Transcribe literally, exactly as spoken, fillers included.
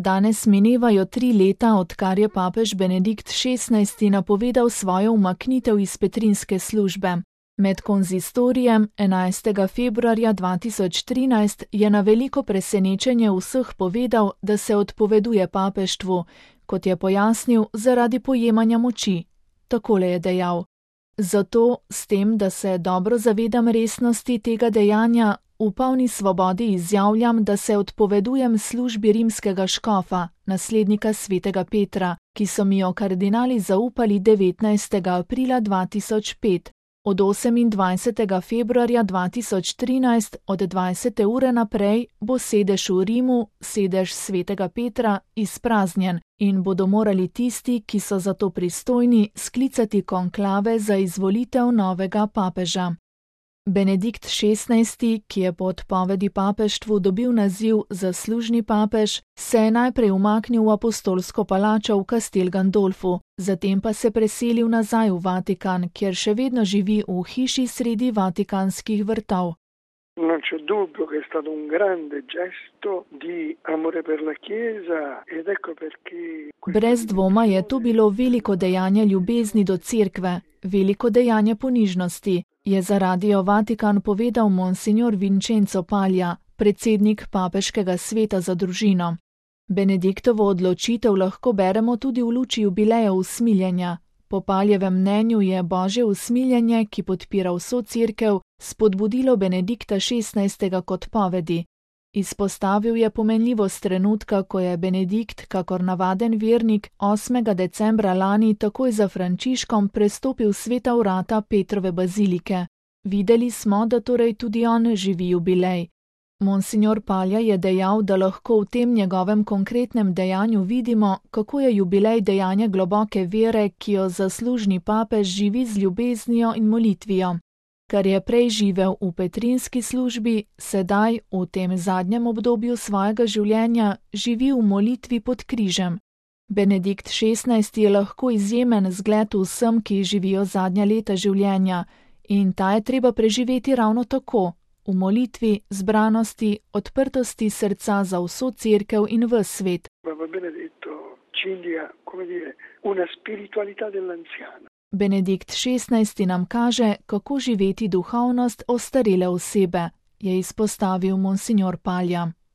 Danes minevajo tri leta, odkar je papež Benedikt šestnajsti napovedal svojo umaknitev iz petrinske službe. Med konzistorijem enajstega februarja dva tisoč trinajst je na veliko presenečenje vseh povedal, da se odpoveduje papeštvu, kot je pojasnil, zaradi pojemanja moči. Takole je dejal: Zato, s tem, da se dobro zavedam resnosti tega dejanja, v polni svobodi izjavljam, da se odpovedujem službi rimskega škofa, naslednika svetega Petra, ki so mi jo kardinali zaupali devetnajstega aprila dva tisoč pet. Od osemindvajsetega februarja dva tisoč trinajst od dvajsete ure naprej bo sedež v Rimu, sedež svetega Petra, izpraznjen in bodo morali tisti, ki so za to pristojni, sklicati konklave za izvolitev novega papeža. Benedikt šestnajsti, ki je po odpovedi papeštvu dobil naziv zaslužni papež, se je najprej umaknil v apostolsko palačo v Castel Gandolfu, zatem pa se preselil nazaj v Vatikan, kjer še vedno živi v hiši sredi vatikanskih vrtov. Non c'è dubbio che è stato un grande gesto di amore per la Chiesa ed ecco perché... Brez dvoma je to bilo veliko dejanje ljubezni do cerkve, veliko dejanje ponižnosti, je za Radio Vatikan povedal monsignor Vincenzo Paglia, predsednik papeškega sveta za družino. Benediktovo odločitev lahko beremo tudi v luči jubileja usmiljenja. Po Paljevem mnenju je božje usmiljenje, ki podpira vso cerkev, spodbudilo Benedikta šestnajstega k odpovedi. Izpostavil je pomenljivost trenutka, ko je Benedikt, kakor navaden vernik, osmega decembra lani takoj za Frančiškom prestopil sveta vrata Petrove bazilike. Videli smo, da torej tudi on živi jubilej. Monsignor Paglia je dejal, da lahko v tem njegovem konkretnem dejanju vidimo, kako je jubilej dejanje globoke vere, ki jo zaslužni papež živi z ljubeznijo in molitvijo. Kar je prej živel v petrinski službi, sedaj, v tem zadnjem obdobju svojega življenja, živi v molitvi pod križem. Benedikt šestnajsti je lahko izjemen zgled vsem, ki živijo zadnja leta življenja, in ta je treba preživeti ravno tako, v molitvi, zbranosti, odprtosti srca za vso cerkev in ves svet. Benedikt šestnajsti nam kaže, kako živeti duhovnost ostarele osebe, je izpostavil monsignor Paglia.